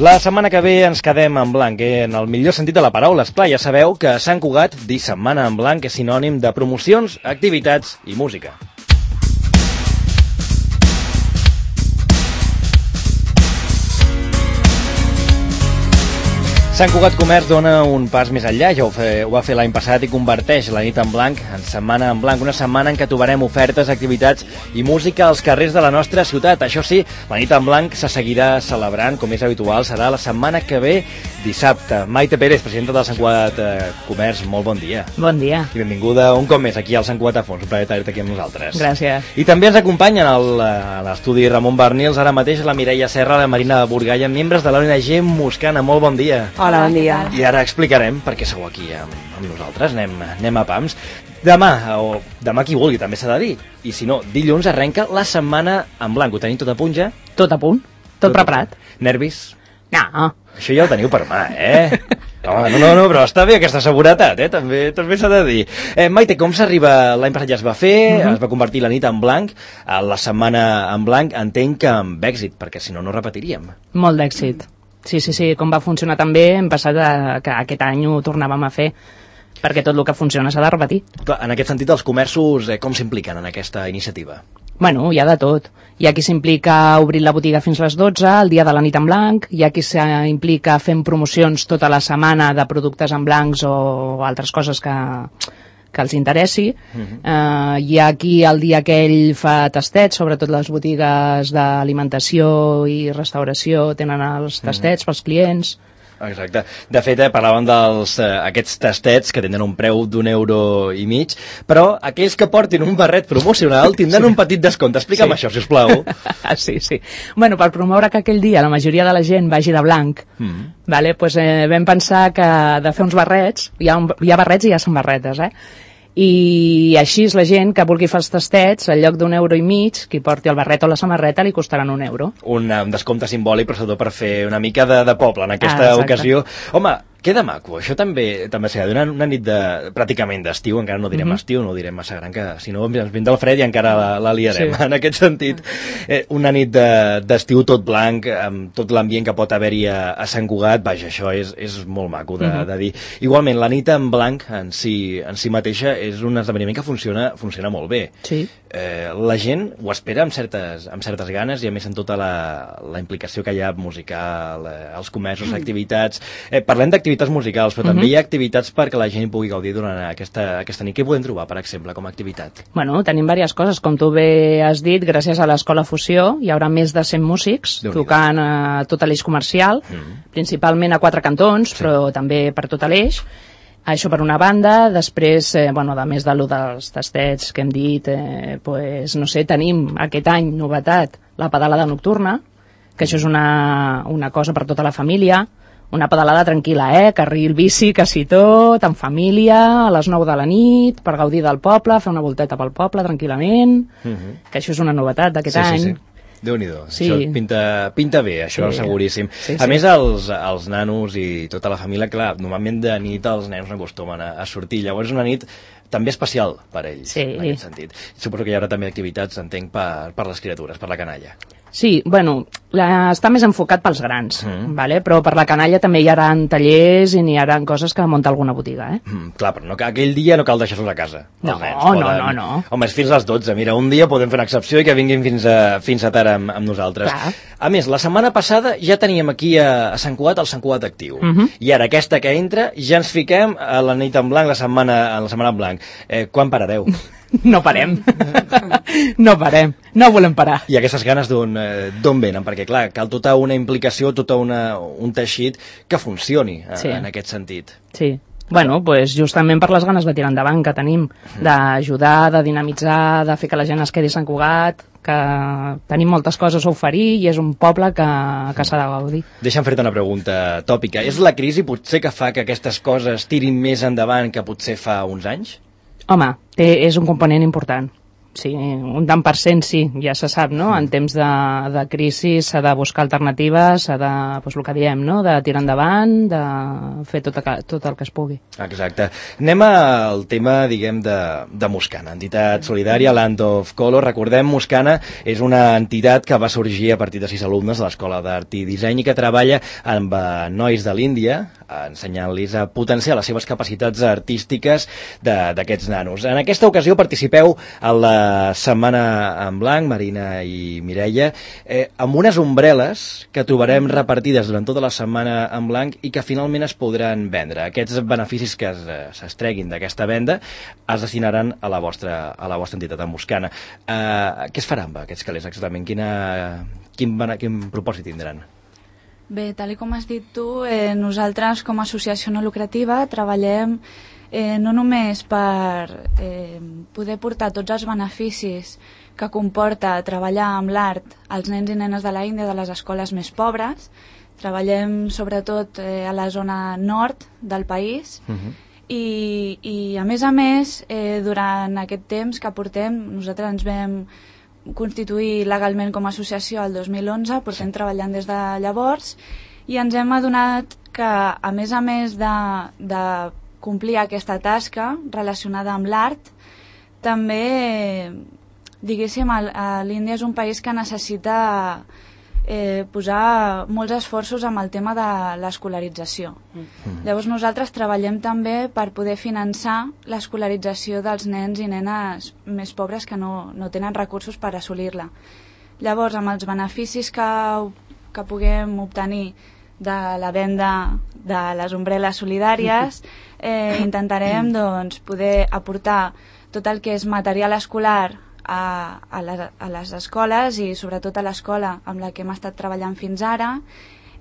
La setmana que ve ens quedem en blanc, en el millor sentit de la paraula. Esclar, ja sabeu que a Sant Cugat dir setmana en blanc és sinònim de promocions, activitats i música. Sant Cugat Comerç dona un pas més enllà, ja ho va fer l'any passat i converteix la nit en blanc en setmana en blanc, una setmana en què trobarem ofertes, activitats i música als carrers de la nostra ciutat. Això sí, la nit en blanc se seguirà celebrant, com és habitual, serà la setmana que ve, dissabte. Maite Pérez, presidenta del Sant Cugat Comerç, molt bon dia. Bon dia. I benvinguda un cop més aquí al Sant Cugat a Fons, un plaer tenir-te aquí amb nosaltres. Gràcies. I també ens acompanyen a l'estudi Ramon Bernils, ara mateix la Mireia Serra, la Marina Burgalla, membres de l'ONG Moscana. Molt bon dia. Hola, bon dia. I ara explicarem per què sou aquí amb nosaltres. Anem a pams. Demà qui vulgui també s'ha de dir. I si no, dilluns arrenca la setmana en blanc. Ho tenim tot a punt ja? Tot a punt, tot preparat. Nervis? No. Això ja ho teniu per mà, Home, no, però està bé aquesta seguretat, també s'ha de dir. Maite, com s'arriba? L'any passat ja es va fer, es va convertir la nit en blanc, la setmana en blanc, entenc que amb èxit, perquè si no, no repetiríem. Molt d'èxit. Sí, com va funcionar també, hem passat que aquest any ho tornàvem a fer, perquè tot el que funciona s'ha de repetir. Clar, en aquest sentit, els comerços com s'impliquen en aquesta iniciativa? Bueno, hi ha de tot. Hi ha qui s'implica obrint la botiga fins les 12, el dia de la nit en blanc, hi ha qui s'implica fent promocions tota la setmana de productes en blancs o altres coses que els interessi. Hi ha qui el dia aquell fa tastets, sobretot les botigues d'alimentació i restauració tenen els tastets pels clients. Exacte. De fet, parlàvem d'aquests tastets que tenen un preu d'1,50 €, però aquells que portin un barret promocional tindran un petit descompte. Explica'm això, sisplau. Sí. Bueno, per promoure que aquell dia la majoria de la gent vagi de blanc, vam pensar que de fer uns barrets, hi ha barrets i hi ha samarretes, i així la gent que vulgui fer els tastets, al lloc d'1,50 €, qui porti el barret o la samarreta li costaran €1. Un descompte simbòlic, però sobretot per fer una mica de poble en aquesta ocasió. Home, queda maco, això també s'ha de donar una nit pràcticament d'estiu, encara no direm estiu, no ho direm massa gran, que si no ens vindrà el fred i encara la liarem. En aquest sentit, una nit d'estiu tot blanc, amb tot l'ambient que pot haver-hi a Sant Cugat, vaja, això és molt maco de dir. Igualment, la nit en blanc en si mateixa és un esdeveniment que funciona molt bé. Sí. La gent ho espera amb certes ganes i a més amb tota la implicació que hi ha musical, els comerços, activitats. Parlem d'activitats musicals, però també hi ha activitats perquè la gent pugui gaudir durant aquesta nit. Què podem trobar, per exemple, com a activitat? Bueno, tenim diverses coses. Com tu bé has dit, gràcies a l'Escola Fusió hi haurà més de 100 músics tocant a tot l'eix comercial, principalment a 4 cantons, però també per tot l'eix. Això per una banda. Després, a més dels tastets que hem dit, tenim aquest any novetat la pedalada nocturna, que això és una cosa per tota la família, una pedalada tranquil·la, carril bici, quasi tot, en família, a les 9 de la nit, per gaudir del poble, fer una volteta pel poble tranquil·lament, que això és una novetat d'aquest any. Sí. Déu-n'hi-do, això pinta bé, això seguríssim. A més, els nanos i tota la família, clar, normalment de nit els nens no acostumen a sortir, llavors és una nit també especial per ells, en aquest sentit. Suposo que hi haurà també activitats, entenc, per les criatures, per la canalla. Sí, està més enfocat pels grans, però per la canalla també hi haurà tallers i n'hi haurà coses que munta alguna botiga. Clar, però aquell dia no cal deixar-los a casa. No. Home, és fins a les 12. Mira, un dia podem fer una excepció i que vinguin fins a tard amb nosaltres. Clar. A més, la setmana passada ja teníem aquí a Sant Cugat el Sant Cugat Actiu. I ara aquesta que entra ja ens fiquem a la nit en blanc, la setmana en blanc. Quan parareu? No parem. No volem parar. I aquestes ganes d'on venen? Perquè, clar, cal tota una implicació, tot un teixit que funcioni en aquest sentit. Sí. Justament per les ganes de tirar endavant que tenim, d'ajudar, de dinamitzar, de fer que la gent es quedi a Sant Cugat, que tenim moltes coses a oferir i és un poble que s'ha de gaudir. Deixa'm fer-te una pregunta tòpica. És la crisi potser que fa que aquestes coses tirin més endavant que potser fa uns anys? Home, és un component important, Sí, un tant per cent sí, ja se sap, no? En temps de crisi s'ha de buscar alternatives, s'ha de, doncs el que diem, no? De tirar endavant, de fer tot el que es pugui. Exacte. Anem al tema, diguem, de Muscana, entitat solidària, Land of Color. Recordem, Muscana és una entitat que va sorgir a partir de 6 alumnes de l'Escola d'Art i Disseny i que treballa amb nois de l'Índia, ensenyant-los a potenciar les seves capacitats artístiques d'aquests nanos. En aquesta ocasió participeu a la Setmana en Blanc, Marina i Mireia, amb unes ombrel·les que trobarem repartides durant tota la Setmana en Blanc i que finalment es podran vendre. Aquests beneficis que s'extreguin d'aquesta venda es destinaran a la vostra entitat, a Muscana. Què es farà amb aquests calés exactament? Quin propòsit tindran? Bé, tal com has dit tu, nosaltres com a associació no lucrativa treballem no només per poder portar tots els beneficis que comporta treballar amb l'art als nens i nenes de l'Índia de les escoles més pobres. Treballem sobretot a la zona nord del país i a més, durant aquest temps que portem, nosaltres ens vam constituir legalment com a associació el 2011, portem treballant des de llavors i ens hem adonat que a més de complir aquesta tasca relacionada amb l'art, també, diguéssim, l'Índia és un país que necessita posar molts esforços amb el tema de l'escolarització. Llavors nosaltres treballem també per poder finançar l'escolarització dels nens i nenes més pobres que no tenen recursos per assolir-la. Llavors, amb els beneficis que puguem obtenir de la venda de les ombrel·les solidàries, intentarem poder aportar tot el que és material escolar a les escoles i sobretot a l'escola amb la que hem estat treballant fins ara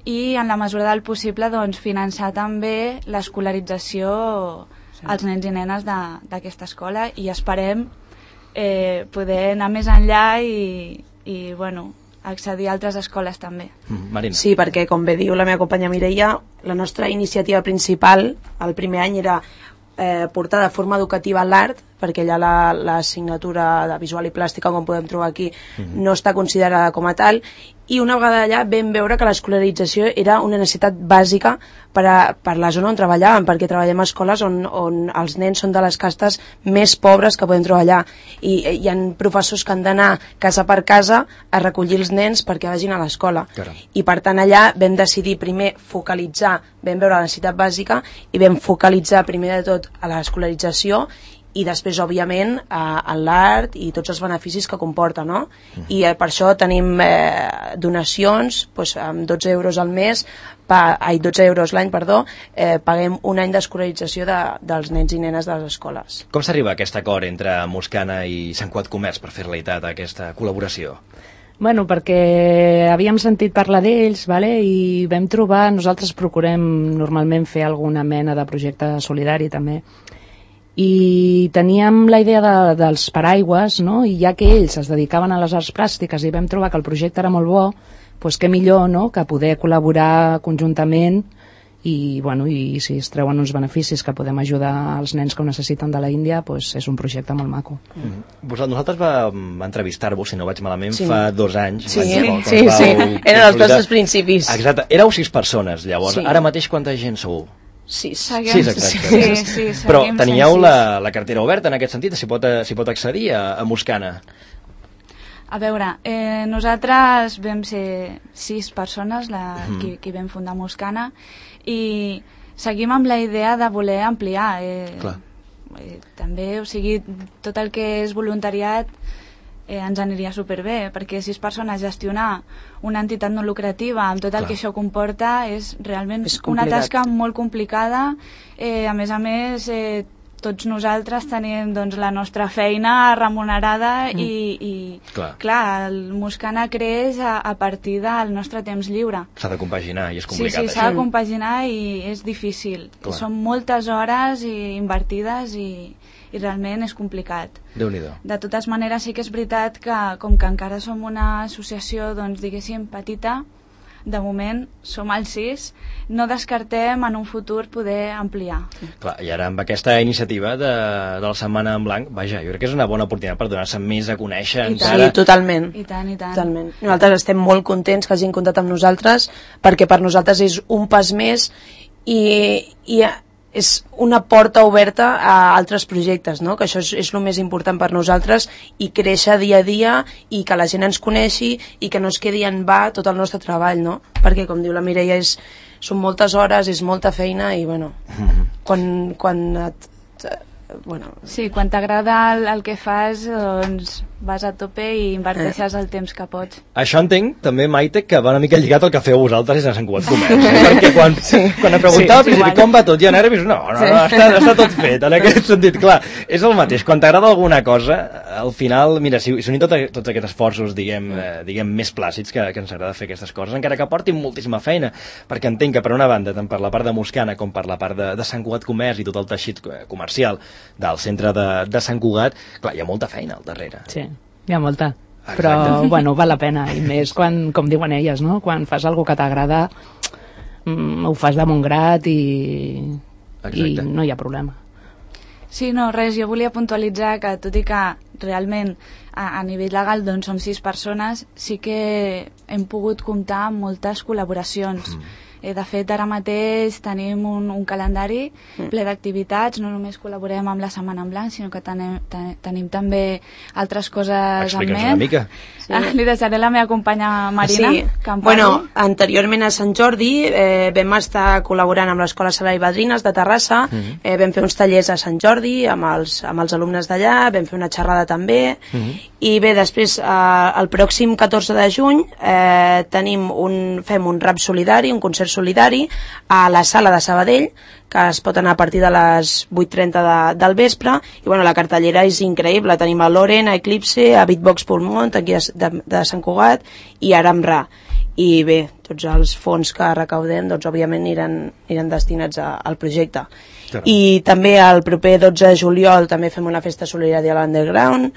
i en la mesura del possible finançar també l'escolarització als nens i nenes d'aquesta escola i esperem poder anar més enllà i accedir a altres escoles també. Marina. Sí, perquè com bé diu la meva companya Mireia, la nostra iniciativa principal el primer any era portar de forma educativa l'art, perquè allà l'assignatura de visual i plàstica, com podem trobar aquí, no està considerada com a tal, i una vegada allà vam veure que l'escolarització era una necessitat bàsica per la zona on treballàvem, perquè treballem a escoles on els nens són de les castes més pobres que podem trobar allà, i hi ha professors que han d'anar casa per casa a recollir els nens perquè vagin a l'escola. I per tant allà vam decidir primer focalitzar, vam veure la necessitat bàsica i vam focalitzar primer de tot a l'escolarització i després, òbviament, a l'art i tots els beneficis que comporta, no? I per això tenim donacions, amb 12 euros al mes, 12 euros l'any, paguem un any d'escolarització dels nens i nenes de les escoles. Com s'arriba a aquest acord entre Muscana i Sant Cugat Comerç per fer realitat aquesta col·laboració? Bueno, perquè havíem sentit parlar d'ells, i vam trobar, nosaltres procurem normalment fer alguna mena de projecte solidari també, i teníem la idea dels paraigües, no? I ja que ells es dedicaven a les arts plàstiques i vam trobar que el projecte era molt bo, doncs què millor, no?, que poder col·laborar conjuntament i si es treuen uns beneficis que podem ajudar els nens que ho necessiten de la Índia, doncs és un projecte molt maco. Nosaltres vam entrevistar-vos, si no vaig malament, fa 2 anys. Sí, eren els nostres principis. Exacte, éreu 6 persones llavors, ara mateix quanta gent sou? 6. Sí, però teníeu la cartera oberta en aquest sentit, s'hi pot accedir a Muscana? A veure, nosaltres vam ser 6 persones qui vam fundar Muscana i seguim amb la idea de voler ampliar també, o sigui, tot el que és voluntariat ens aniria superbé, perquè 6 persones gestionar una entitat no lucrativa amb tot el que això comporta és realment una tasca molt complicada. A més, tots nosaltres tenim la nostra feina remunerada i clar, el Muscana creix a partir del nostre temps lliure. S'ha de compaginar i és complicat. Sí, s'ha de compaginar i és difícil. Són moltes hores invertides i realment és complicat. Déu-n'hi-do. De totes maneres, sí que és veritat que, com que encara som una associació, diguéssim, petita, de moment som els 6, no descartem en un futur poder ampliar. Clar, i ara amb aquesta iniciativa de la Setmana en Blanc, vaja, jo crec que és una bona oportunitat per donar-se més a conèixer encara. Sí, totalment. I tant, i tant. Totalment. Nosaltres estem molt contents que hagin comptat amb nosaltres, perquè per nosaltres és un pas més i és una porta oberta a altres projectes, no? Que això és el més important per nosaltres, i créixer dia a dia i que la gent ens coneixi i que no es quedi en va tot el nostre treball, no? Perquè, com diu la Mireia, són moltes hores, és molta feina i, bueno, Sí, quan t'agrada el que fas, doncs vas a tope i inverteixes el temps que pots. Això entenc, també, Maite, que va una mica lligat al que feu vosaltres a Sant Cugat Comerç, perquè quan em preguntava com va tot, hi ha nervis, no, està tot fet, en aquest sentit, clar, és el mateix, quan t'agrada alguna cosa, al final, mira, si unim tots aquests esforços, diguem, més plàcids que ens agrada fer aquestes coses, encara que portin moltíssima feina, perquè entenc que per una banda, tant per la part de Moscana com per la part de Sant Cugat Comerç i tot el teixit comercial del centre de Sant Cugat, clar, hi ha molta feina al darrere. Sí, hi ha molta. Però, bueno, val la pena, i més quan, com diuen elles, no? Quan fas alguna que t'agrada, ho fas de bon grat i no hi ha problema. Sí, no, res, jo volia puntualitzar que tot i que realment a nivell legal doncs som 6 persones, sí que hem pogut comptar amb moltes col·laboracions. De fet, ara mateix tenim un calendari ple d'activitats, no només col·laborem amb la Setmana en Blanc, sinó que tenim també altres coses en ment. Explica'ns una mica. Sí. Li deixaré la meva companya Marina, que em parli. Bueno, anteriorment a Sant Jordi vam estar col·laborant amb l'Escola Sala i Badrines de Terrassa, vam fer uns tallers a Sant Jordi amb els alumnes d'allà, vam fer una xerrada també, i bé, després, el pròxim 14 de juny fem un rap solidari, un concert solidari a la sala de Sabadell, que es pot anar a partir de les 8:30 del vespre, i bueno, la cartellera és increïble, tenim a Loren, a Eclipse, a Beatbox Pulmont, aquí de Sant Cugat, i Aramra. I bé, tots els fons que recaudem, doncs òbviament aniran destinats al projecte. I també el proper 12 de juliol també fem una festa solidària a l'Underground,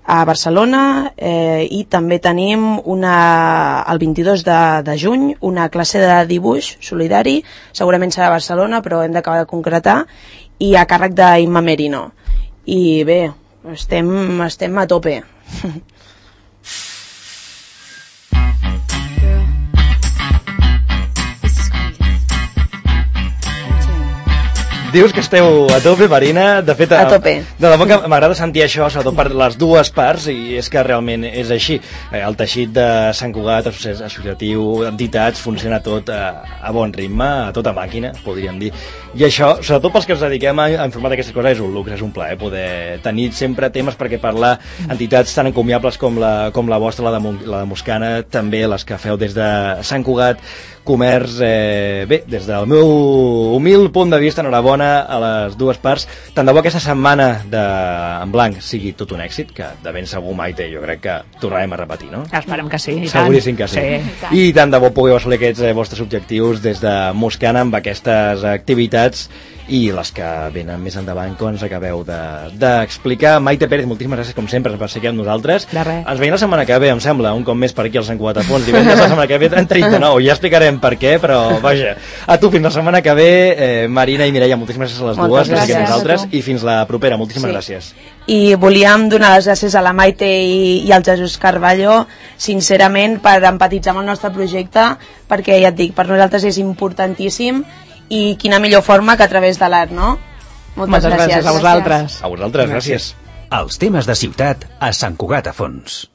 a Barcelona, i també tenim el 22 de juny una classe de dibuix solidari, segurament serà a Barcelona, però hem d'acabar de concretar, i a càrrec d'Imma Merino. I bé, estem a tope. Dius que esteu a tope, Marina. De fet, a tope. De debò que m'agrada sentir això, sobretot per les dues parts, i és que realment és així. El teixit de Sant Cugat, associatiu, entitats, funciona tot a bon ritme, a tota màquina, podríem dir. I això, sobretot pels que ens dediquem a informar d'aquestes coses, és un luxe, és un plaer poder tenir sempre temes perquè parlar entitats tan encomiables com la vostra, la de Moscana, també les que feu des de Sant Cugat Comerç. Bé, des del meu humil punt de vista, enhorabona a les dues parts. Tant de bo aquesta setmana en blanc sigui tot un èxit, que de ben segur, Maite, jo crec que tornarem a repetir, no? Esperem que sí, i tant. Seguríssim que sí. I tant de bo pugueu assolir aquests vostres objectius des de Moscana amb aquestes activitats i les que venen més endavant, com ens acabeu d'explicar. Maite Pérez, moltíssimes gràcies, com sempre, per ser aquí amb nosaltres. De res. Ens veiem la setmana que ve, em sembla, un cop més per aquí al Sant Cugat a Fons. Divendres la setmana que ve en 39, ja explicarem per què, però vaja, a tu fins la setmana que ve, Marina i Mireia, moltíssimes gràcies a les dues per ser aquí amb nosaltres, i fins la propera, moltíssimes gràcies. I volíem donar les gràcies a la Maite i al Jesús Carballo, sincerament, per empatitzar amb el nostre projecte, perquè, ja et dic, per nosaltres és importantíssim, i quina millor forma que a través de l'art, no? Moltes gràcies a vosaltres. A vosaltres, gràcies. Els temes de ciutat a Sant Cugat a Fons.